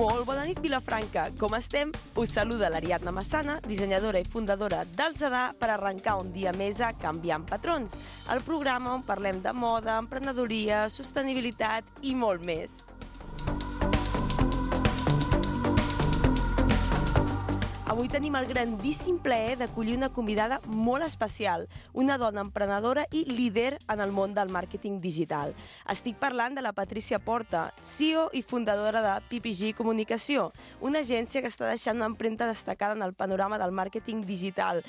Molt bona nit, Vilafranca. Com estem? Us saluda l'Ariadna Massana, dissenyadora i fundadora del Zadà, per arrencar un dia més a Canviant Patrons, el programa on parlem de moda, emprenedoria, sostenibilitat i molt més. Avui tenim el grandíssim plaer d'acollir una convidada molt especial, una dona emprenedora i líder en el món del màrqueting digital. Estic parlant de la Patrícia Porta, CEO i fundadora de PPG Comunicació, una agència que està deixant una empremta destacada en el panorama del màrqueting digital.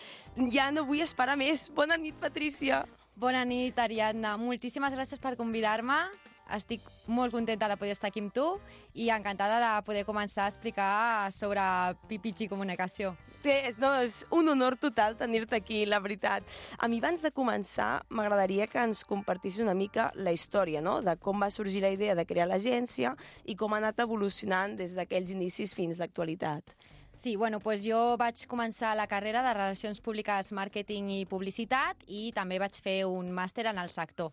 Ja no vull esperar més. Bona nit, Patrícia. Bona nit, Ariadna. Moltíssimes gràcies per convidar-me. Estic molt contenta de poder estar aquí amb tu i encantada de poder començar a explicar sobre PPG Comunicació. És un honor total tenir-te aquí, la veritat. A mi, abans de començar, m'agradaria que ens compartissis una mica la història, no?, de com va sorgir la idea de crear l'agència i com ha anat evolucionant des d'aquells inicis fins l'actualitat. Sí, doncs jo vaig començar la carrera de Relacions Públiques, Màrqueting i Publicitat i també vaig fer un màster en el sector.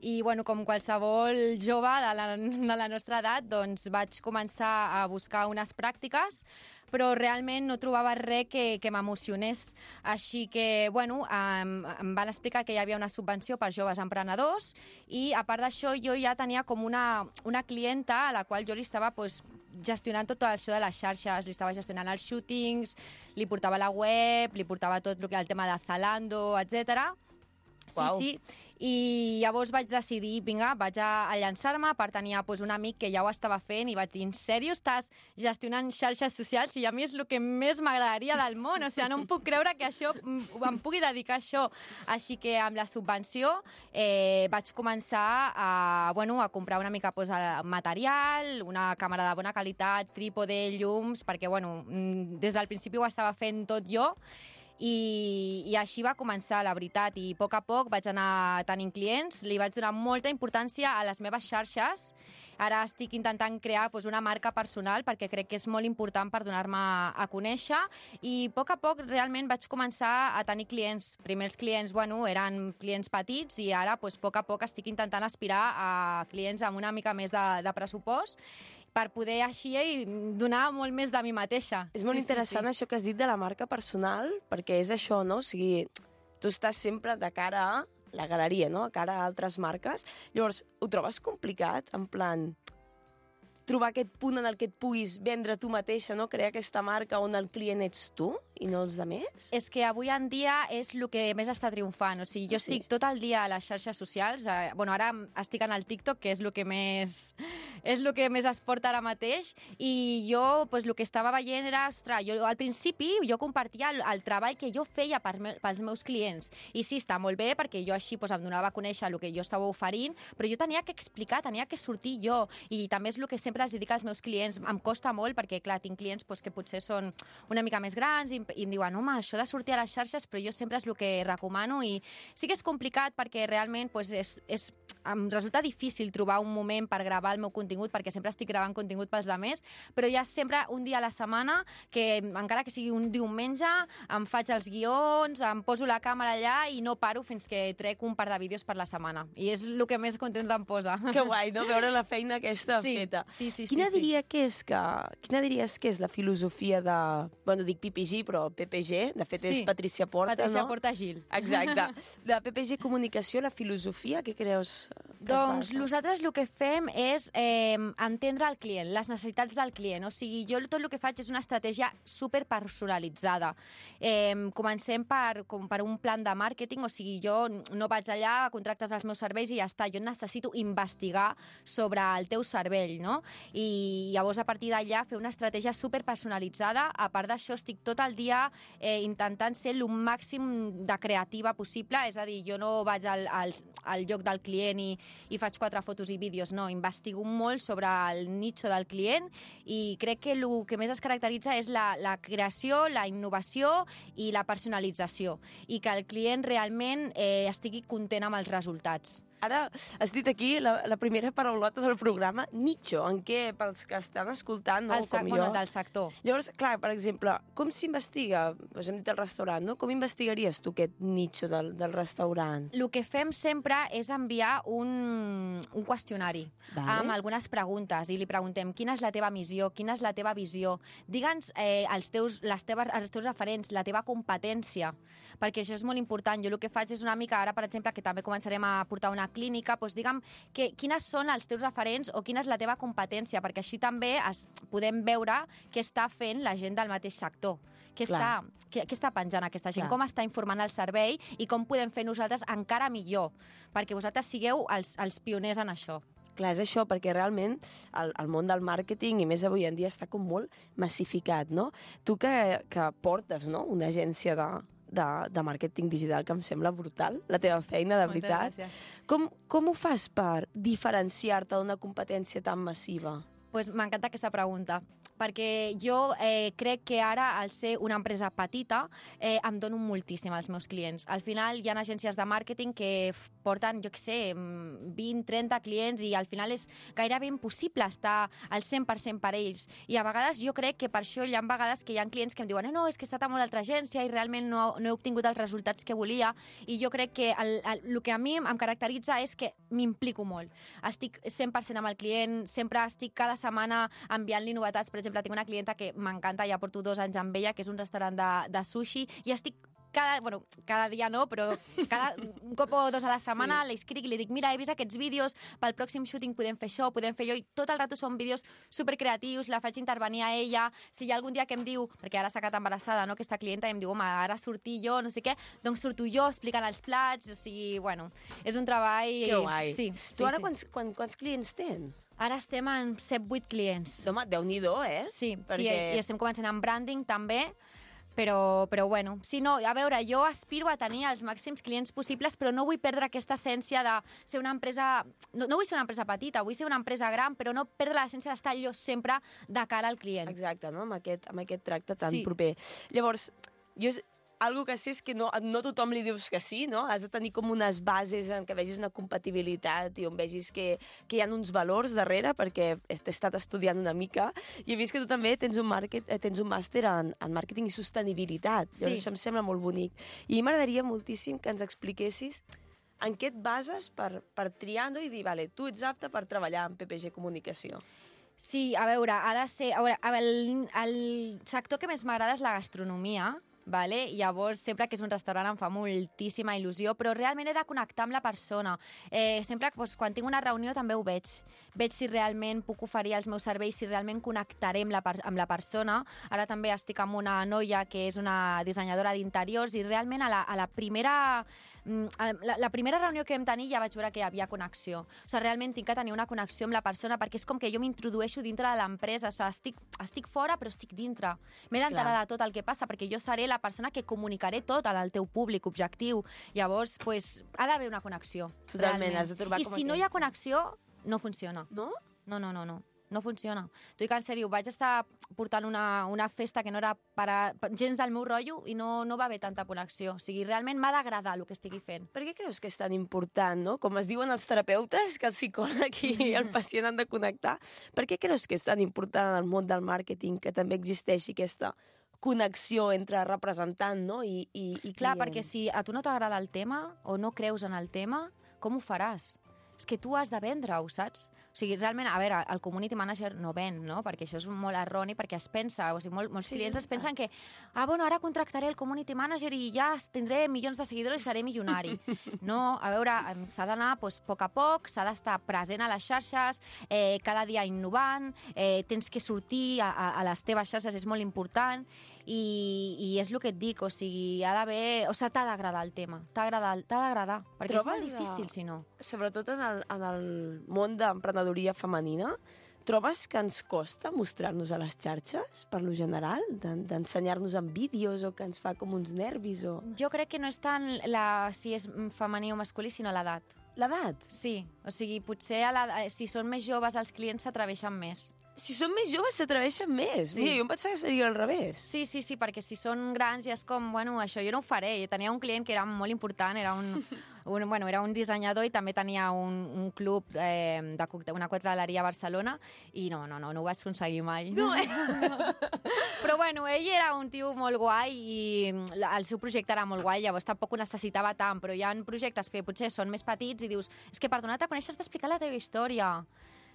I com qualsevol jove de la nostra edat, doncs vaig començar a buscar unes pràctiques, però realment no trobava res que m'emocionés. Així que, em van explicar que hi havia una subvenció per joves emprenedors i, a part d'això, jo ja tenia com una clienta a la qual jo li estava gestionant tot això de les xarxes, li estava gestionant els shootings, li portava la web, li portava tot el tema de Zalando, etc. Sí. I llavors vaig decidir, vinga, vaig a llançar-me, per tenir un amic que ja ho estava fent i vaig dir, en sèrio estàs gestionant xarxes socials? I a mi és el que més m'agradaria del món, o sigui, no em puc creure que em pugui dedicar a això. Així que amb la subvenció vaig començar a comprar una mica material, una càmera de bona qualitat, trípode, llums, perquè des del principi ho estava fent tot jo. I així va començar, la veritat, i a poc vaig anar tenint clients, li vaig donar molta importància a les meves xarxes. Ara estic intentant crear una marca personal perquè crec que és molt important per donar-me a conèixer i a poc realment vaig començar a tenir clients. Primers clients, eren clients petits i ara, a poc estic intentant aspirar a clients amb una mica més de pressupost per poder així donar molt més de mi mateixa. És molt interessant això que has dit de la marca personal, perquè és això, no? O sigui, tu estàs sempre de cara a la galeria, no? A cara a altres marques. Llavors, ho trobes complicat, en plan, trobar aquest punt en el que et puguis vendre tu mateixa, no? Crear aquesta marca on el client ets tu i no els altres? És que avui en dia és el que més està triomfant. O sigui, jo estic tot el dia a les xarxes socials. Ara estic en el TikTok, que és el que més es porta ara mateix. I jo, el que estava veient era, jo al principi jo compartia el treball que jo feia pels meus clients. I sí, està molt bé, perquè jo així em donava a conèixer el que jo estava oferint, però jo tenia que explicar, tenia que sortir jo. I també és el que sempre els dic als meus clients. Em costa molt, perquè, clar, tinc clients que potser són una mica més grans i em diuen, home, això de sortir a les xarxes, però jo sempre és el que recomano i sí que és complicat perquè realment em resulta difícil trobar un moment per gravar el meu contingut perquè sempre estic gravant contingut pels altres, però hi ha sempre un dia a la setmana que, encara que sigui un diumenge, em faig els guions, em poso la càmera allà i no paro fins que trec un par de vídeos per la setmana. I és el que més contenta em posa. Que guai, no?, veure la feina aquesta feta. Sí. Quina diries que és la filosofia de, dic PPG, però PPG, de fet és Patrícia Porta, Patrícia Porta Gil. Exacte. De PPG Comunicació, la filosofia, què creus que es basa? Nosaltres el que fem és entendre el client, les necessitats del client. O sigui, jo tot el que faig és una estratègia superpersonalitzada. Comencem per un plan de màrqueting, o sigui, jo no vaig allà, contractes els meus serveis i ja està. Jo necessito investigar sobre el teu cervell, no? I llavors, a partir d'allà, fer una estratègia superpersonalitzada. A part d'això, estic tot el dia intentant ser el màxim de creativa possible, és a dir, jo no vaig al lloc del client i faig 4 fotos i vídeos, no, investigo molt sobre el nicho del client i crec que el que més es caracteritza és la creació, la innovació i la personalització i que el client realment estigui content amb els resultats. Ara has dit aquí la primera paraulota del programa, nicho, en què, pels que estan escoltant, no, com jo... Del sector. Llavors, clar, per exemple, com s'investiga? Doncs hem dit el restaurant, no? Com investigaries tu aquest nicho del restaurant? El que fem sempre és enviar un qüestionari amb algunes preguntes i li preguntem quina és la teva missió, quina és la teva visió, digue'ns els teus referents, la teva competència, perquè això és molt important. Jo el que faig és una mica, ara per exemple, que també començarem a portar una clínica, doncs digue'm quines són els teus referents o quina és la teva competència, perquè així també podem veure què està fent la gent del mateix sector. Què està penjant aquesta gent? Com està informant el servei i com podem fer nosaltres encara millor? Perquè vosaltres sigueu els pioners en això. Clar, és això, perquè realment el món del màrqueting, i més avui en dia, està com molt massificat, no? Tu que portes, no?, una agència de màrqueting digital, que em sembla brutal, la teva feina, de veritat. Moltes gràcies. Com ho fas per diferenciar-te d'una competència tan massiva? Pues m'encanta aquesta pregunta, perquè jo crec que ara, al ser una empresa petita, em dono moltíssim als meus clients. Al final hi ha agències de màrqueting que porten, jo què sé, 20, 30 clients i al final és gairebé impossible estar al 100% per ells. I a vegades jo crec que per això hi ha vegades que hi ha clients que em diuen no, és que he estat a una altra agència i realment no he obtingut els resultats que volia, i jo crec que el que a mi em caracteritza és que m'implico molt. Estic 100% amb el client, sempre estic cada setmana enviant-li novetats. Per exemple, tinc una clienta que m'encanta, ja porto 2 anys amb ella, que és un restaurant de sushi, i estic cada dia no, però un cop o 2 a la setmana li escric i li dic, mira, he vist aquests vídeos, pel pròxim shooting podem fer això, podem fer allò, i tot el rato són vídeos supercreatius, la faig intervenir a ella. Si hi ha algun dia que em diu, perquè ara s'ha quedat embarassada, no, aquesta clienta, i em diu, home, ara sortir jo, no sé què, doncs surto jo explicant els plats, o sigui, bueno, és un treball... Que guai. Sí, tu ara quants clients tens? Ara estem en 7-8 clients. Home, Déu-n'hi-do, Sí, i estem començant amb branding també, però bueno, sí, no, a veure, jo aspiro a tenir els màxims clients possibles, però no vull perdre aquesta essència de ser una empresa... No vull ser una empresa petita, vull ser una empresa gran, però no perdre l'essència d'estar jo sempre de cara al client. Exacte, no? Amb aquest tracte tan proper. Llavors, algo que sé és que no tothom li dius que sí, no? Has de tenir com unes bases en què vegis una compatibilitat i on vegis que hi ha uns valors darrere, perquè he estat estudiant una mica i he vist que tu també tens un màster en màrqueting i sostenibilitat. Sí. Això em sembla molt bonic. I m'agradaria moltíssim que ens expliquessis en què et bases per triar, no? I dir, vale, tu ets apte per treballar en PPG Comunicació. Sí, a veure, ha de ser... A veure, el sector que més m'agrada és la gastronomia, vale? Llavors, sempre que és un restaurant em fa moltíssima il·lusió, però realment he de connectar amb la persona. Sempre, doncs, quan tinc una reunió també ho veig. Veig si realment puc oferir els meus serveis, si realment connectaré amb la persona. Ara també estic amb una noia que és una dissenyadora d'interiors i realment a la primera reunió que vam tenir ja vaig veure que hi havia connexió. O sigui, realment tinc que tenir una connexió amb la persona perquè és com que jo m'introdueixo dintre de l'empresa. O sigui, estic fora però estic dintre. M'he d'enterar de tot el que passa perquè jo seré la persona que comunicaré tot al teu públic objectiu. Llavors, pues, ha d'haver una connexió. Totalment, has de trobar I si no hi ha connexió, no funciona. No? No funciona. T'ho dic en sèrio, vaig estar portant una festa que no era gens del meu rotllo i no va haver tanta connexió. O sigui, realment m'ha d'agradar el que estigui fent. Per què creus que és tan important, no? Com es diuen els terapeutes, que el psicòleg i el pacient han de connectar. Per què creus que és tan important en el món del màrqueting que també existeixi aquesta connexió entre representant, no? i client? Clar, perquè si a tu no t'agrada el tema o no creus en el tema, com ho faràs? És que tu has de vendre-ho, saps? O sigui, realment, a veure, el community manager no ven, no? Perquè això és molt erroni, perquè es pensa, o sigui, molts clients es pensen que bueno, ara contractaré el community manager i ja tindré milions de seguidors i seré milionari. No, a veure, s'ha d'anar a poc a poc, s'ha d'estar present a les xarxes, cada dia innovant, tens que sortir a les teves xarxes, és molt important, i és el que et dic, o sigui, ha d'haver... O sigui, t'ha d'agradar el tema, t'ha d'agradar, perquè és molt difícil, si no. Sobretot en el món d'emprenedoria femenina, trobes que ens costa mostrar-nos a les xarxes, per lo general, d'ensenyar-nos en vídeos o que ens fa com uns nervis? Jo crec que no és tant si és femení o masculí, sinó l'edat. L'edat? Sí, o sigui, potser si són més joves els clients s'atreveixen més. Si són més joves s'atreveixen més. Sí. Mira, jo em pensava que seria al revés. Sí, perquè si són grans ja és com, bueno, això jo no ho faré. I tenia un client que era molt important, era era un dissenyador i també tenia un club una cocteleria a Barcelona i no ho vaig aconseguir mai. No, Però bueno, ell era un tio molt guai i el seu projecte era molt guai, llavors tampoc ho necessitava tant, però hi ha projectes que potser són més petits i dius, és que per donar-te a conèixer has d'explicar la teva història,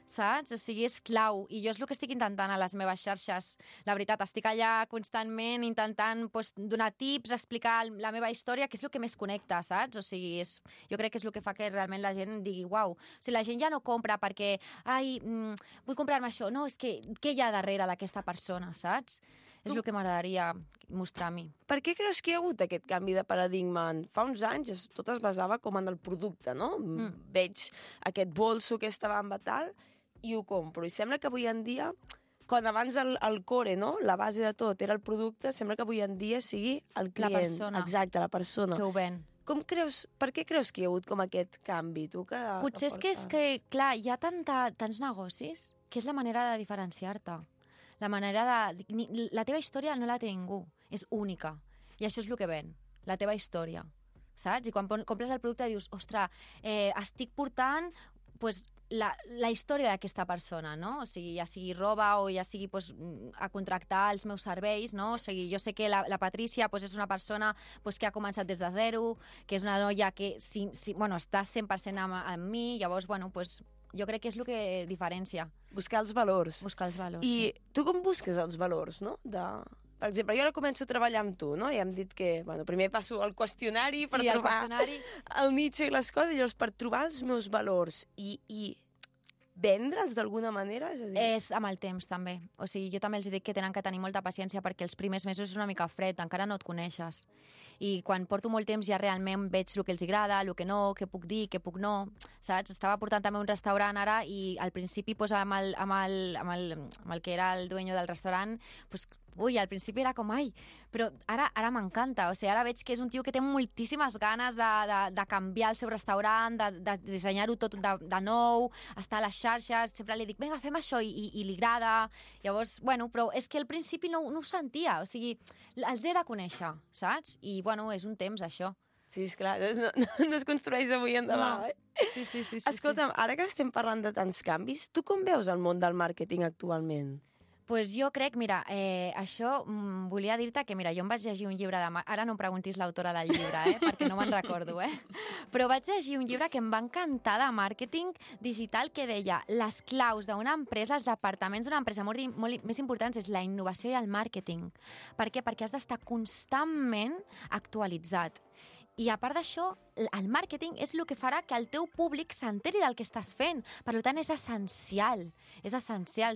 saps? O sigui, és clau. I jo és el que estic intentant a les meves xarxes. La veritat, estic allà constantment intentant donar tips, explicar la meva història, que és el que més connecta, saps? O sigui, jo crec que és el que fa que realment la gent digui, uau, o sigui, la gent ja no compra perquè, vull comprar-me això. No, és que què hi ha darrere d'aquesta persona, saps? És el que m'agradaria mostrar a mi. Per què creus que hi ha hagut aquest canvi de paradigma? Fa uns anys tot es basava com en el producte, no? Veig aquest bolso, aquesta bamba tal, i ho compro. I sembla que avui en dia, quan abans el core, no? La base de tot era el producte, sembla que avui en dia sigui el client. La persona. Exacte, la persona. Que ho ven. Per què creus que hi ha hagut com aquest canvi? Potser és que, clar, hi ha tants negocis que és la manera de diferenciar-te. La teva història no la té ningú, és única. I això és el que ven, la teva història, saps? I quan compres el producte dius, ostres, estic portant la història d'aquesta persona, no? O sigui, ja sigui roba o ja sigui a contractar els meus serveis, no? O sigui, jo sé que la Patrícia és una persona que ha començat des de zero, que és una noia que està 100% amb mi, llavors, jo crec que és el que diferencia. Buscar els valors. I tu com busques els valors, no? Per exemple, jo ara començo a treballar amb tu, no? I hem dit que, primer passo el qüestionari per trobar el nicho i les coses, i llavors per trobar els meus valors i vendre'ls d'alguna manera? És amb el temps, també. O sigui, jo també els dic que tenen que tenir molta paciència perquè els primers mesos és una mica fred, encara no et coneixes. I quan porto molt temps ja realment veig el que els agrada, el que no, què puc dir, què puc no, saps? Estava portant també un restaurant ara i al principi amb el que era el dueño del restaurant, al principi era com, però ara m'encanta, o sigui, ara veig que és un tio que té moltíssimes ganes de canviar el seu restaurant, de dissenyar-ho tot de nou, estar a les xarxes, sempre li dic, vinga, fem això, i li agrada, llavors, però és que al principi no ho sentia, o sigui, els he de conèixer, saps? I, és un temps, això. Sí, esclar, no es construeix avui endavant, Sí. Escolta'm, ara que estem parlant de tants canvis, tu com veus el món del màrqueting actualment? Pues jo crec, mira, això volia dir-te que, mira, jo em vaig llegir un llibre ara no em preguntis l'autora del llibre, perquè no me'n recordo, però vaig llegir un llibre que em va encantar de màrqueting digital que deia les claus d'una empresa, els departaments d'una empresa molt més importants és la innovació i el màrqueting. Per què? Perquè has d'estar constantment actualitzat. I a part d'això, el màrqueting és el que farà que el teu públic s'enteri del que estàs fent. Per tant, és essencial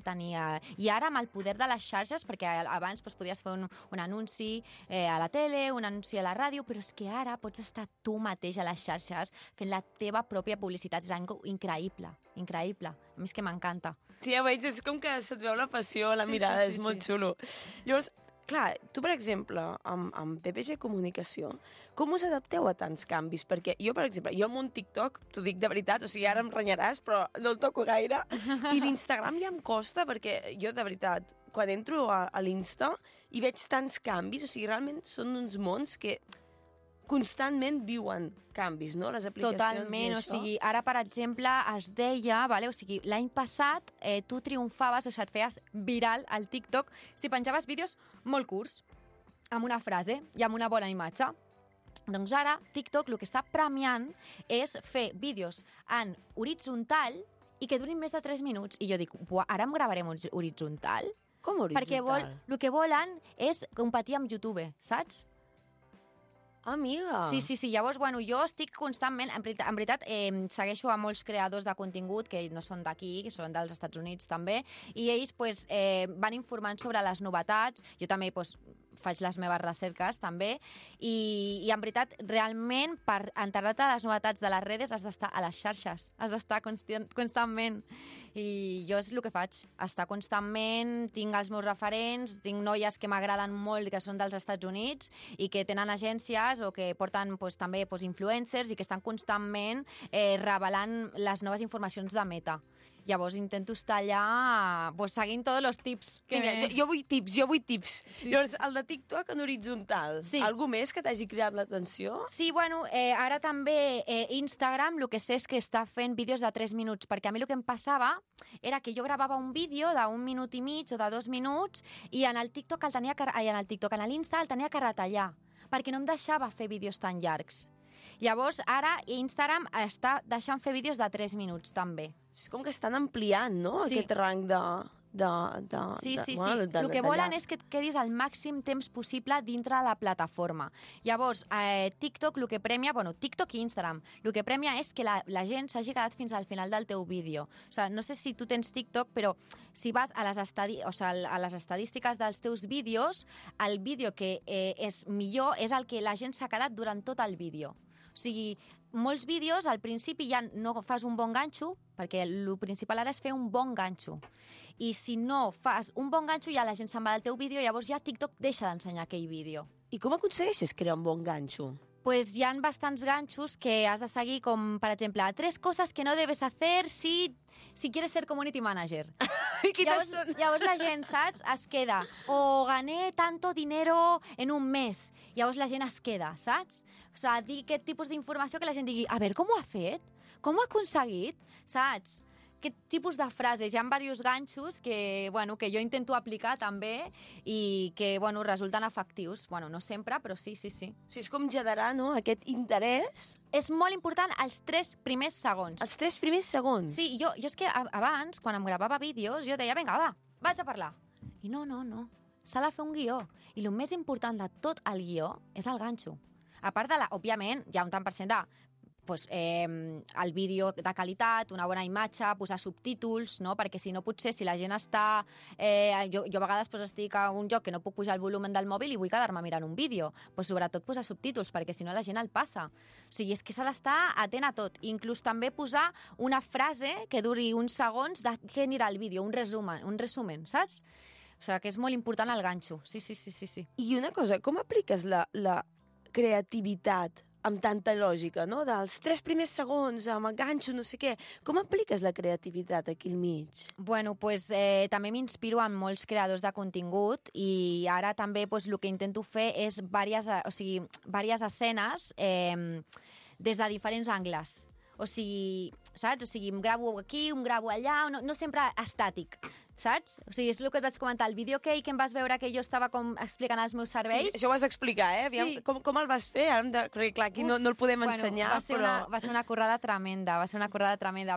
tenir... I ara amb el poder de les xarxes, perquè abans podies fer un anunci a la tele, un anunci a la ràdio, però és que ara pots estar tu mateix a les xarxes fent la teva pròpia publicitat. És algo increïble. A mi és que m'encanta. Sí, ja veig, és com que se't veu la passió, la mirada, és molt xulo. Llavors, clar, tu, per exemple, amb PPG Comunicació, com us adapteu a tants canvis? Perquè jo, per exemple, amb un TikTok, t'ho dic de veritat, o sigui, ara em renyaràs, però no el toco gaire, i l'Instagram ja em costa, perquè jo, de veritat, quan entro a l'Insta i veig tants canvis, o sigui, realment són uns mons que constantment viuen canvis, no? Les aplicacions. Totalment, o sigui, ara, per exemple, es deia, o sigui, l'any passat tu triomfaves, o sigui, et feies viral al TikTok si penjaves vídeos molt curts, amb una frase i amb una bona imatge. Doncs ara, TikTok el que està premiant és fer vídeos en horitzontal i que durin més de 3 minuts. I jo dic, ara em gravarem horitzontal? Com horitzontal? Perquè el que volen és competir amb YouTube, saps? Amiga! Sí. Llavors, jo estic constantment... En veritat, segueixo a molts creadors de contingut que no són d'aquí, que són dels Estats Units també, i ells van informant sobre les novetats. Jo també faig les meves recerques també, i en veritat, realment, per enterar-te de les novetats de les redes has d'estar a les xarxes, has d'estar constantment. I jo és el que faig, estar constantment, tinc els meus referents, tinc noies que m'agraden molt, que són dels Estats Units, i que tenen agències o que porten també influencers i que estan constantment revelant les noves informacions de Meta. Llavors intento estar allà seguint tots els tips. Vinga, jo vull tips. Sí. Llavors, el de TikTok en horitzontal, algú més que t'hagi cridat l'atenció? Sí, bueno, ara també Instagram, el que sé és que està fent vídeos de 3 minuts, perquè a mi el que em passava era que jo gravava un vídeo d'1 minut i mig o de 2 minuts i en el TikTok en l'Insta el tenia que retallar, perquè no em deixava fer vídeos tan llargs. Llavors, ara Instagram està deixant fer vídeos de 3 minuts, també. És com que estan ampliant, no?, aquest rang de... Sí. El que volen és que et quedis el màxim temps possible dintre de la plataforma. Llavors, TikTok el que premia, TikTok i Instagram, el que premia és que la gent s'hagi quedat fins al final del teu vídeo. O sigui, no sé si tu tens TikTok, però si vas a les estadístiques dels teus vídeos, el vídeo que és millor és el que la gent s'ha quedat durant tot el vídeo. O sigui, molts vídeos al principi ja no fas un bon ganxo, perquè el principal ara és fer un bon ganxo. I si no fas un bon ganxo, ja la gent se'n va del teu vídeo, llavors ja TikTok deixa d'ensenyar aquell vídeo. I com aconsegueixes crear un bon ganxo? Pues hi ha bastants ganxos que has de seguir, com, per exemple, 3 coses que no debes hacer si quieres ser community manager. Llavors la gent, saps, es queda. O gané tanto dinero en un mes. Llavors la gent es queda, saps? O sigui, dir aquest tipus d'informació que la gent digui, a veure, com ho ha fet? Com ho ha aconseguit? Saps? Aquest tipus de frases. Hi ha diversos ganxos que jo intento aplicar també i que resulten efectius. No sempre, però sí. O sigui, és com generar, no?, aquest interès. És molt important els 3 primers segons. Els 3 primers segons? Sí, jo és que abans, quan em gravava vídeos, jo deia, vinga, va, vaig a parlar. I no. S'ha de fer un guió. I el més important de tot el guió és el ganxo. A part òbviament, hi ha un tant per cent de el vídeo de qualitat, una bona imatge, posar subtítols, no? Perquè si no, potser, si la gent està... Jo a vegades estic a un lloc que no puc pujar el volum del mòbil i vull quedar-me mirant un vídeo. Sobretot posar subtítols, perquè si no la gent el passa. O sigui, és que s'ha d'estar atent a tot. Inclús també posar una frase que duri uns segons de què anirà el vídeo, un resumen, saps? O sigui, que és molt important el ganxo. Sí. I una cosa, com apliques la creativitat amb tanta lògica, no? Dels 3 primers segons, amb el ganxo, no sé què. Com apliques la creativitat aquí al mig? També m'inspiro en molts creadors de contingut i ara també el que intento fer és diverses escenes des de diferents angles. O sigui, saps? O sigui, em gravo aquí, em gravo allà, no sempre estàtic, saps? O sigui, és el que et vaig comentar, el vídeo que em vas veure que jo estava com explicant els meus serveis. Sí, això ho has d'explicar, eh? Aviam, sí. Com el vas fer? Perquè, clar, aquí no el podem ensenyar, va ser una currada tremenda,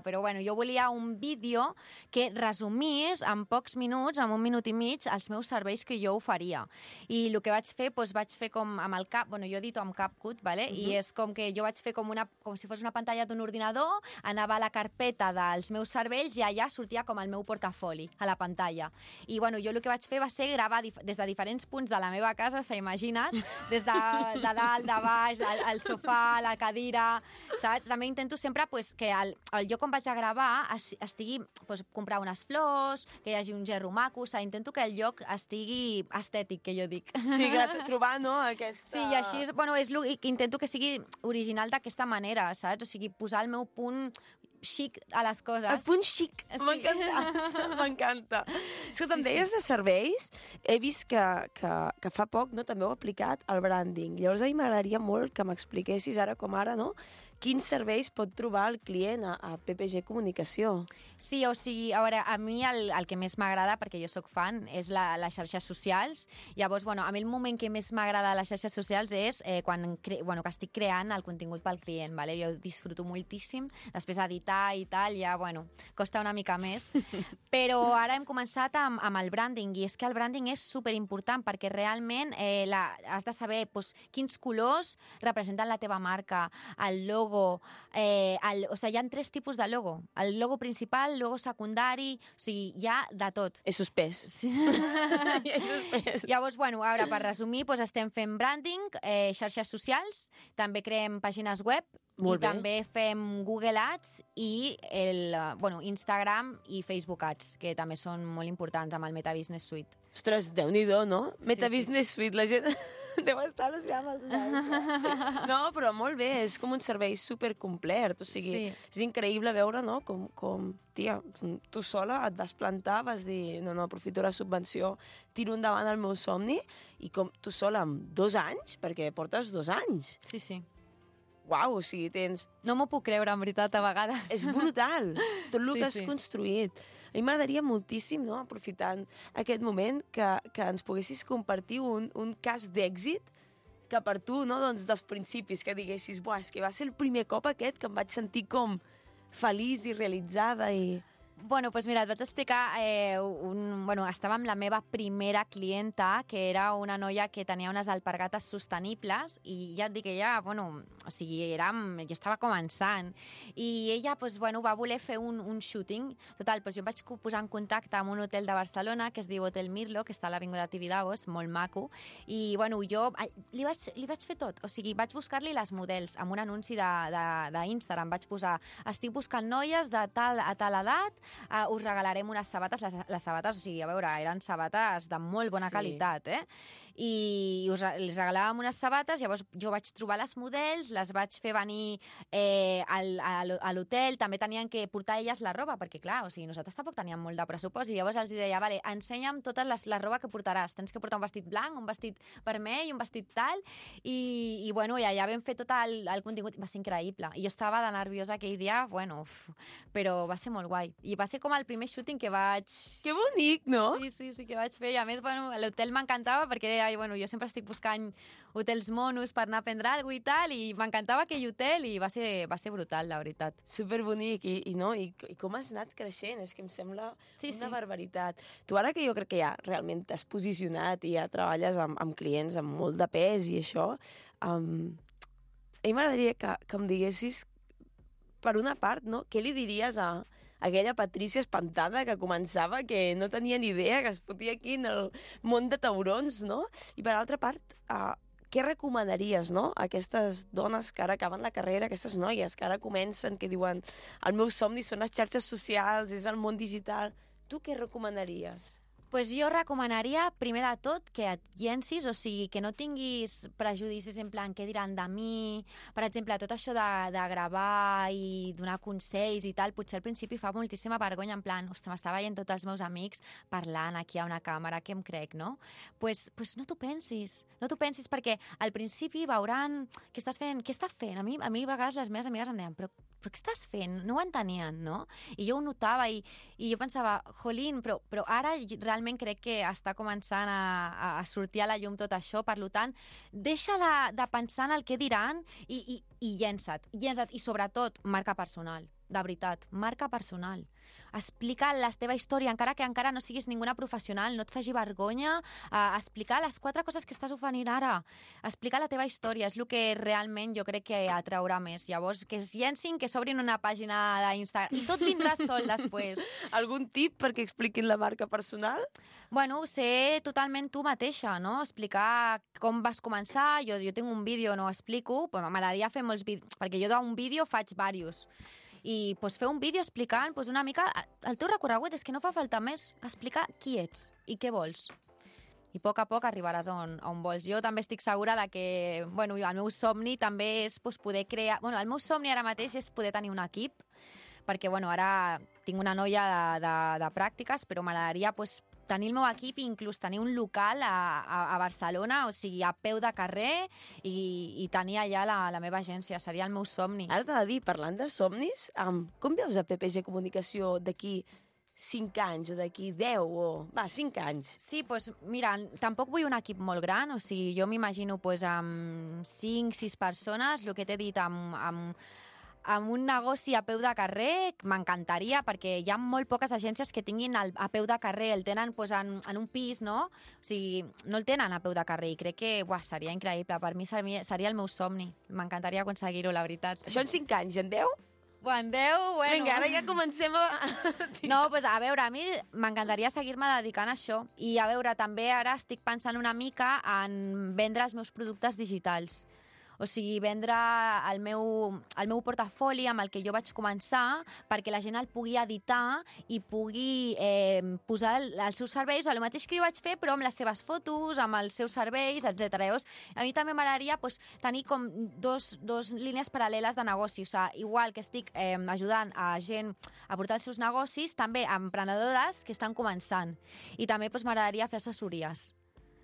però jo volia un vídeo que resumís en pocs minuts, en 1 minut i mig, els meus serveis que jo oferia. I el que vaig fer com amb el cap, jo edito amb CapCut, ¿vale? I és com que jo vaig fer com si fos una pantalla d'un ordinador, anava a la carpeta dels meus serveis i allà sortia com el meu portafoli, a la pantalla. I jo el que vaig fer va ser gravar des de diferents punts de la meva casa, imagina't, des de dalt, de baix, el sofà, la cadira, saps? També intento sempre que el lloc on vaig a gravar estigui, comprar unes flors, que hi hagi un gerro maco, intento que el lloc estigui estètic, que jo dic. Sí, trobar, no?, aquesta... Sí, i així, intento que sigui original d'aquesta manera, saps? O sigui, posar el meu punt xic a les coses. El punt xic, sí. M'encanta. Escolta, em deies de serveis, he vist que fa poc també heu aplicat el branding. Llavors a mi m'agradaria molt que m'expliquessis ara com ara, no?, quins serveis pot trobar el client a PPG Comunicació. Sí, o sigui, a veure, a mi el que més m'agrada, perquè jo sóc fan, és les xarxes socials. Llavors, a mi el moment que més m'agrada a les xarxes socials és quan que estic creant el contingut pel client, ¿vale? Jo disfruto moltíssim, després editar i tal, ja, costa una mica més. Però ara hem començat amb el branding, i és que el branding és superimportant, perquè realment has de saber quins colors representen la teva marca, el logo, hi ha 3 tipus de logo. El logo principal, el logo secundari, o sigui, hi ha de tot. És suspès. Sí. Llavors, a veure, per resumir, estem fent branding, xarxes socials, també creem pàgines web, també fem Google Ads i Instagram i Facebook Ads, que també són molt importants amb el Meta Business Suite. Ostres, Déu-n'hi-do, no? Meta Business Suite, la gent... Deu estar al·lucinant amb els nanos. No, però molt bé, és com un servei supercomplet, o sigui, és increïble veure, no?, com tia, tu sola et vas plantar, vas dir, no, aprofito la subvenció, tiro endavant el meu somni, i com tu sola amb 2 anys, perquè portes 2 anys. Sí. Uau, o sigui, tens... No m'ho puc creure, en veritat, a vegades. És brutal, tot el que has construït. A mi m'agradaria moltíssim, no?, aprofitant aquest moment, que ens poguessis compartir un cas d'èxit que per tu, no?, doncs dels principis, que diguessis, buah, és que va ser el primer cop aquest que em vaig sentir com feliç i realitzada i... Bueno, doncs mira, et vaig explicar, estava amb la meva primera clienta, que era una noia que tenia unes alpargates sostenibles, i ja et dic, ella, o sigui, jo estava començant, i ella, va voler fer un shooting. Total, jo em vaig posar en contacte amb un hotel de Barcelona, que es diu Hotel Mirlo, que està a l'Avinguda Tibidabo, molt maco, i, jo li vaig fer tot. O sigui, vaig buscar-li les models amb un anunci d'Instagram. Vaig posar, estic buscant noies de tal a tal edat, us regalarem unes sabates, les sabates, o sigui, a veure, eren sabates de molt bona qualitat, i les regalàvem unes sabates, llavors jo vaig trobar les models, les vaig fer venir a l'hotel, també tenien que portar elles la roba, perquè clar, o sigui, nosaltres tampoc teníem molt de pressupost, i llavors els deia, vale, ensenya'm tota la roba que portaràs, tens que portar un vestit blanc, un vestit vermell, un vestit tal, i allà vam fer tot el contingut, va ser increïble, i jo estava de nerviosa aquell dia, però va ser molt guai, i va ser com el primer shooting que vaig... Que bonic, no? Sí, que vaig fer, i a més, l'hotel m'encantava, perquè jo sempre estic buscant hotels monos per anar a prendre alguna cosa i tal, i m'encantava aquell hotel, i va ser brutal, la veritat. Superbonic, i com has anat creixent, és que em sembla una barbaritat. Tu ara que jo crec que ja realment t'has posicionat i ja treballes amb clients amb molt de pes i això, a mi m'agradaria que em diguessis, per una part, no, què li diries a aquella Patrícia espantada que començava, que no tenia ni idea, que es fotia aquí en el món de taurons, no? I per altra part, què recomanaries, no?, a aquestes dones que ara acaben la carrera, aquestes noies que ara comencen, que diuen el meu somni són les xarxes socials, és el món digital. Tu què recomanaries? Pues jo recomanaria, primer de tot, que et llencis, o sigui, que no tinguis prejudicis en plan què diran de mi. Per exemple, tot això de gravar i donar consells i tal, potser al principi fa moltíssima vergonya, en plan, ostres, m'està veient tots els meus amics parlant aquí a una càmera, què em crec, no? Pues no t'ho pensis, perquè al principi veuran què estàs fent, què estàs fent. A mi a vegades les meves amigues em deien, però què estàs fent? No ho entenien, no? I jo ho notava i jo pensava, jolín, però ara realment crec que està començant a sortir a la llum tot això, per tant, deixa de pensar en el què diran i llença't. I sobretot, marca personal. De veritat, marca personal. Explica la teva història, encara que encara no siguis ninguna professional, no et faci vergonya, explicar les 4 coses que estàs oferint ara. Explicar la teva història, és el que realment jo crec que atraurà més. Llavors, que es llencin, que s'obrin una pàgina d'Instagram, i tot vindrà sol després. Algun tip perquè expliquin la marca personal? Ser totalment tu mateixa, no? Explicar com vas començar, jo tinc un vídeo, no ho explico, però m'agradaria fer molts vídeos, perquè jo d'un vídeo faig diversos. I fer un vídeo explicant una mica el teu recorregut, és que no fa falta més, explicar qui ets i què vols. I a poc arribaràs on vols. Jo també estic segura que el meu somni també és poder crear... el meu somni ara mateix és poder tenir un equip, perquè ara tinc una noia de pràctiques, però m'agradaria tenir el meu equip i inclús tenir un local a Barcelona, o sigui, a peu de carrer, i tenir allà la meva agència. Seria el meu somni. Ara t'ha de dir, parlant de somnis, com veus a PPG Comunicació d'aquí 5 anys o d'aquí 10 o... 5 anys? Sí, mira, tampoc vull un equip molt gran, o sigui, jo m'imagino amb 5-6 persones, el que t'he dit, amb un negoci a peu de carrer, m'encantaria, perquè hi ha molt poques agències que tinguin a peu de carrer, el tenen en un pis, no? O sigui, no el tenen a peu de carrer, i crec que seria increïble. Per mi seria el meu somni. M'encantaria aconseguir-ho, la veritat. Això en 5 anys, en 10? En 10, bueno... Vinga, ara ja comencem a... No, a veure, a mi m'encantaria seguir-me dedicant a això. I a veure, també ara estic pensant una mica en vendre els meus productes digitals. O O sigui, vendre el meu portafoli amb el que jo vaig començar perquè la gent el pugui editar i pugui posar els seus serveis, el mateix que jo vaig fer, però amb les seves fotos, amb els seus serveis, etc. Llavors, a mi també m'agradaria tenir com dos línies paral·leles de negoci. O sigui, igual que estic ajudant a gent a portar els seus negocis, també a emprenedores que estan començant. I també m'agradaria fer assessories.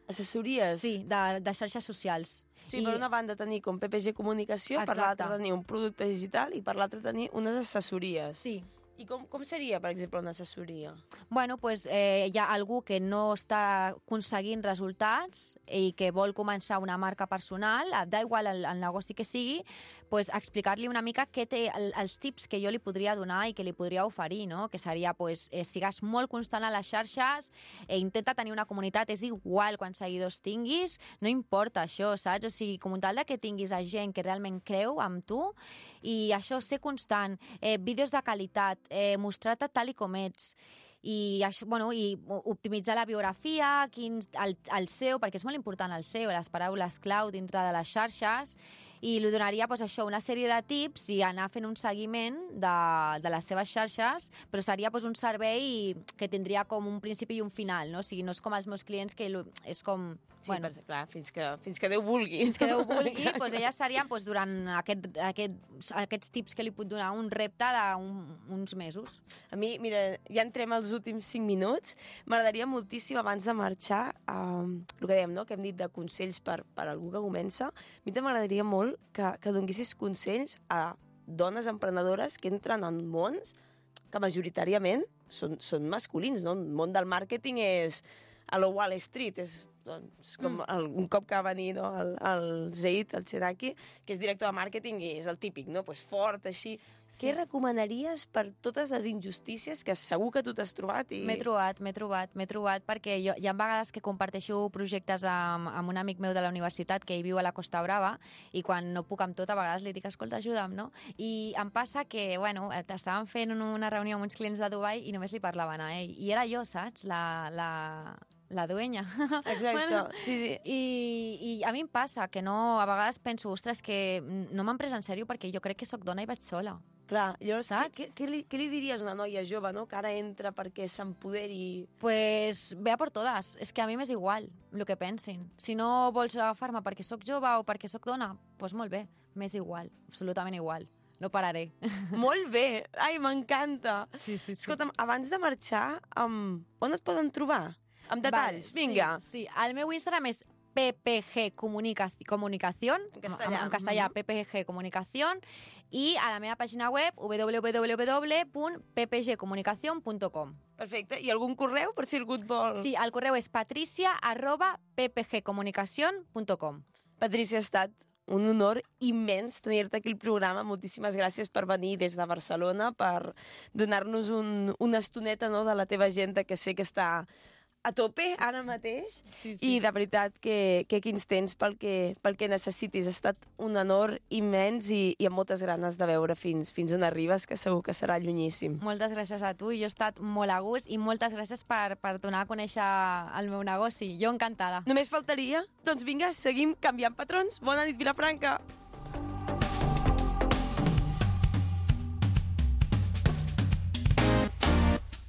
Assessories? Sí, de xarxes socials. Sí, per una banda tenir com PPG Comunicació, per l'altra tenir un producte digital i per l'altra tenir unes assessories. Sí. I com seria, per exemple, una assessoria? Bueno, doncs hi ha algú que no està aconseguint resultats i que vol començar una marca personal, da igual el negoci que sigui, doncs explicar-li una mica què té els tips que jo li podria donar i que li podria oferir, no? Que seria, sigues molt constant a les xarxes, intenta tenir una comunitat, és igual quants seguidors tinguis, no importa això, saps? O sigui, com un tal que tinguis a gent que realment creu amb tu, i això, ser constant, vídeos de qualitat, mostrar-te tal i com ets, i optimitzar la biografia, el SEO, perquè és molt important el SEO, les paraules clau dintre de les xarxes, i li donaria una sèrie de tips i anar fent un seguiment de les seves xarxes, però seria un servei que tindria com un principi i un final, no? O sigui, no és com els meus clients, que és com... Sí, clar, fins que Déu vulgui. Fins que Déu vulgui, elles serien durant aquests tips que li puc donar, un repte d'uns mesos. A mi, mira, ja entrem als últims 5 minuts. M'agradaria moltíssim, abans de marxar, el que dèiem, no?, que hem dit de consells per algú que comença, a mi també m'agradaria molt que donessis consells a dones emprenedores que entren en mons que majoritàriament són masculins, no? El món del màrqueting és a la Wall Street, és com un cop que va venir el Zaid, el Cheraki, que és director de màrqueting i és el típic, no? Fort, així. Sí. Què recomanaries per totes les injustícies que segur que tu t'has trobat? M'he trobat, perquè hi ha vegades que comparteixo projectes amb un amic meu de la universitat que hi viu a la Costa Brava, i quan no puc amb tot, a vegades li dic, escolta, ajuda'm, no? I em passa que, estàvem fent una reunió amb uns clients de Dubai i només li parlaven a ell. I era jo, saps? La dueña. Exacte, sí. I a mi em passa que no, a vegades penso, ostres, que no m'han pres en sèrio perquè jo crec que sóc dona i vaig sola. Clar, llavors, què li diries a una noia jove, no?, que ara entra perquè s'empoderi? Pues ve a por todas. És que a mi m'és igual el que pensin. Si no vols agafar-me perquè sóc jove o perquè sóc dona, doncs molt bé, m'és igual, absolutament igual. No pararé. Molt bé! Ai, m'encanta! Sí. Escolta'm, abans de marxar, on et poden trobar? Amb detalls, vinga. Sí, el meu Instagram és PPG Comunicación, en castellà, PPG Comunicación, i a la meva pàgina web www.ppgcomunicacion.com. Perfecte. I algun correu, per si algú et vol? Sí, el correu és patricia@ppgcomunicacion.com. Patricia, ha estat un honor immens tenir-te aquí al programa. Moltíssimes gràcies per venir des de Barcelona, per donar-nos una estoneta, no?, de la teva agenda, que sé que està a tope ara mateix. Sí. I de veritat que aquí ens tens pel que necessitis. Ha estat un honor immens i amb moltes ganes de veure fins on arribes, que segur que serà llunyíssim. Moltes gràcies a tu, jo he estat molt a gust, i moltes gràcies per donar a conèixer el meu negoci. Jo encantada. Només faltaria. Doncs vinga, seguim canviant patrons. Bona nit, Vilafranca.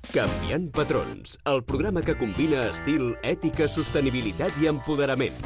Canviant patrons, el programa que combina estil, ètica, sostenibilitat i empoderament.